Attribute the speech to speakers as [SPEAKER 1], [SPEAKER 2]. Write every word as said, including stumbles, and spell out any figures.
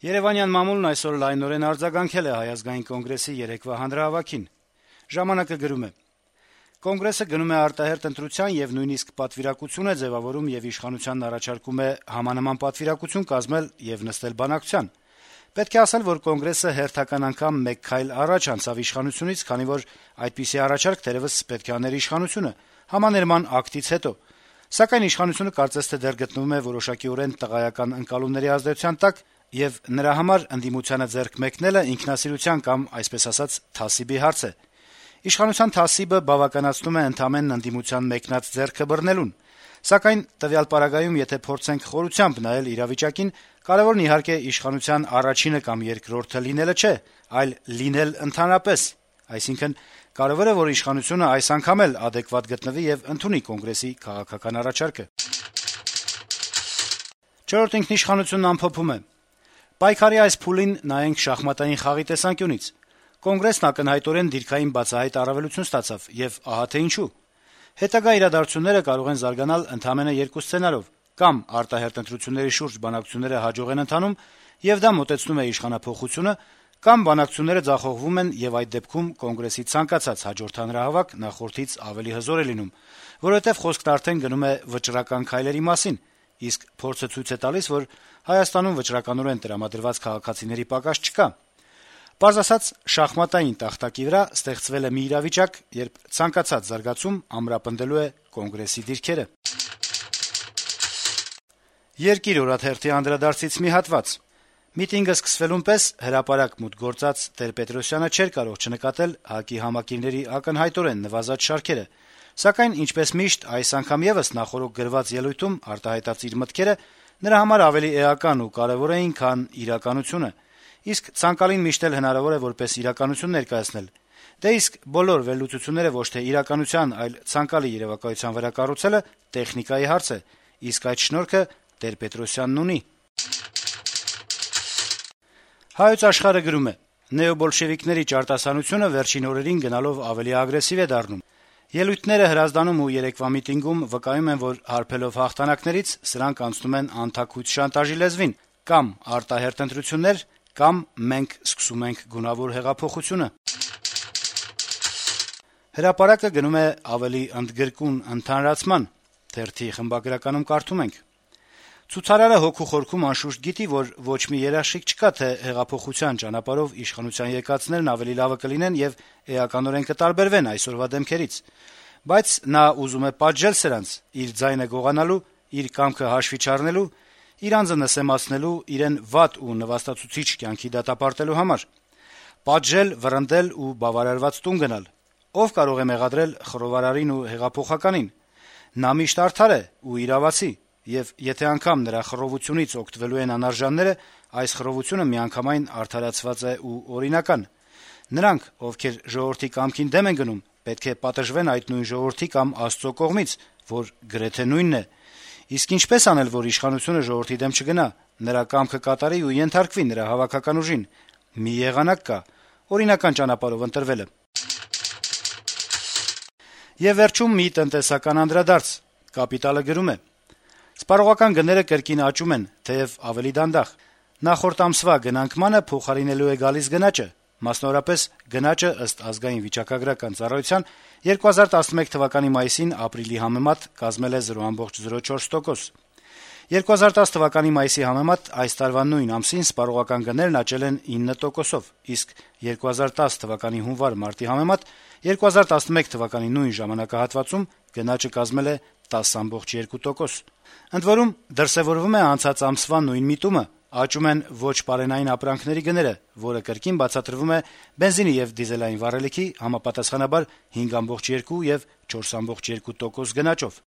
[SPEAKER 1] Երեւանյան մամուլն այսօր լայնորեն արձագանքել է Հայ ազգային կոնգրեսի երեկվա հանրահավաքին։ «Ժամանակ»-ը գրում է. - «Կոնգրեսը գնում է արտահերթ ընտրության եւ նույնիսկ պատվիրակություն է ձեւավորում եւ իշխանությանն առաջարկում է համանման պատվիրակություն կազմել եւ նստել բանակցության։ Պետք է ասել, որ Կոնգրեսը հերթական անգամ մեկ քայլ առաջ անցավ իշխանությունից, քանի որ այդպիսի առաջարկ թերեւս պետք է աներ իշխանությունը համաներման ակտից հետո։ Սակայն իշխանությունը կարծես թե դեռ գտնվում է որոշակիորեն տղայական ընկալումների ազդեցության տակ, եւ նրա համար ընդդիմությանը ձեռք մեկնելը ինքնասիրության կամ, այսպես ասած, թասիբի հարց է։ Իշխանության թասիբը բավականացնում է ընդամենն ընդդիմության մեկնած ձեռքը բռնելուն։ Սակայն տվյալ պարագայում, եթե փորձենք խորությամբ նայել իրավիճակին, կարեւորն իհարկե իշխանության առաջինը կամ երկրորդը լինելը չէ, այլ լինել ընդհանրապես։ Այսինքն, կարեւոր է, որ իշխանությունը այս անգամ էլ adekvat գտնվի եւ ընդունի Կոնգրեսի քաղաքական առաջարկը»։ «Չորրորդ ինքնիշխանությունն» ամփոփում է. - «Պայքարի այս փուլին նայենք շախմատային խաղի տեսանկյունից։ Կոնգրեսն ակնհայտորեն դիրքային բացահայտ առավելություն ստացավ, եւ ահա թե ինչու։ Հետագա իրադարձությունները կարող են զարգանալ ընդամենը երկու սցենարով. կամ արտահերթ ընտրությունների շուրջ բանակցությունները հաջող են ընթանում, եւ դա մոտեցնում է իշխանափոխությունը, կամ բանակցությունները ձախողվում են, եւ այդ դեպքում Կոնգրեսի ցանկացած հաջորդ հանրահավաք նախորդից ավելի հզոր է լինում, որովհետեւ խոսքն արդեն գնում է վճռական քայլերի մասին, իսկ փորձը ցույց է տալիս, որ Հայաստանում վճռականորեն տրամադրված քաղաքացիների պակաս չկա։ Պարզ ասած, շախմատային տախտակի վրա ստեղծվել է մի իրավիճակ, երբ ցանկացած զարգացում ամրապնդելու է Կոնգրեսի դիրքերը»։ «Երկիր» օրաթերթի անդրադարձից մի հատված. - «Միտինգը սկսվելուն պես հրապարակ մուտք գործած Տեր-Պետրոսյանը չէր կարող չնկատել ՀԱԿ-ի համակիրների ակնհայտորեն նվազած շարքերը, սակայն, ինչպես միշտ, այս անգամ եւս նախօրոք գրված ելույթում արտահայտած իր մտքերը նրա համար ավելի էական ու կարեւոր էին, քան իրականությունը, իսկ ցանկալին միշտ էլ հնարավոր է որպես իրականություն ներկայացնել։ Դե իսկ բոլոր վերլուծությունները ոչ թե իրականության, այլ ցանկալի երեւակայության վրա կառուցելը տեխնիկայի հարց է, իսկ այդ շնորհքը Տեր-Պետրոսյանն ունի»։ «Հայոց Աշխարհ»-ը գրում է. - «Նեոբոլշևիկների ճարտասանությունը վերջին օրերին գնալով ավելի ագրեսիվ է դառնում։ Ելույթները Հրազդանում ու երեկվա միտինգում վկայում են, որ հարբելով հաղթանակներից սրանք անցնում են անթաքույց շանտաժի լեզվին՝ կամ արտահերթ ընտրություններ, կամ մենք սկսում ենք գունավոր հեղափոխությունը»։ «Հրապարակ»-ը գնում է ավելի ընդգրկուն ընդհանրացման. թերթի խմբագրականում կարդում ենք. - «Ցուցարարը հոգու խորքում անշուշտ գիտի, որ ոչ մի երաշխիք չկա, թե հեղափոխության ճանապարհով իշխանության եկածներն ավելի լավը կլինեն եւ էականորեն կտարբերվեն այսօրվա դեմքերից, բայց նա ուզում է պատժել սրանց՝ իր ձայնը գողանալու, իր կամքը հաշվի չառնելու, իր անձը նսեմացնելու, իրեն վատ ու նվաստացուցիչ կյանքի դատապարտելու համար։ Պատժել, վռնդել ու բավարարված տուն գնալ։ Ով կարող է մեղադրել խռովարարին ու հեղափոխականին։ Նա միշտ արդար է ու իրավացի, եւ եթե անգամ նրա խռովությունից օգտվելու են անարժանները, այս խռովությունը միանգամայն արդարացված է ու օրինական։ Նրանք, ովքեր ժողովրդի կամքին դեմ են գնում, պետք է պատժվեն այդ նույն ժողովրդի կամ Աստծո կողմից, որ գրեթե նույնն է։ Իսկ ինչպես անել, որ իշխանությունը ժողովրդի դեմ չգնա, նրա կամքը կատարի ու ենթարկվի նրա հավաքական ուժին։ Մի եղանակ կա՝ օրինական ճանապարհով ընտրվելը»։ Եվ վերջում մի տնտեսական անդրադարձ. «Կապիտալ»-ը գրում է. - «Սպառողական գները կրկին աճում են, թեեւ ավելի դանդաղ։ Նախորդ ամսվա գնանկմանը փոխարինելու է գալիս գնաճը, մասնավորապես գնաճը ըստ ազգային վիճակագրական ծառայության երկու հազար տասնմեկ թվականի մայիսին ապրիլի համեմատ կազմել է զրո բացարձակ զրո չորս տոկոս։ երկու հազար տասը թվականի մայիսի համեմատ այս տարվա նույն ամսին սպառողական գներն աճել են ինը տոկոսով, իսկ երկու հազար տասը թվականի հունվար-մարտի համեմատ երկու հազար տասնմեկ թվականի նույն ժամանակահատվածում գնաճը կազմել է տասը բացարձակ երկու տոկոս։ Ընդ որում, դրսեւորվում է անցած ամսվա նույն միտումը՝ աճում են ոչ պարենային ապրանքների գները, որը կրկին բացատրվում է բենզինի եւ դիզելային վառելիքի համապատասխանաբար հինգ բացարձակ երկու եւ չորս բացարձակ երկու տոկոս գնաճով»։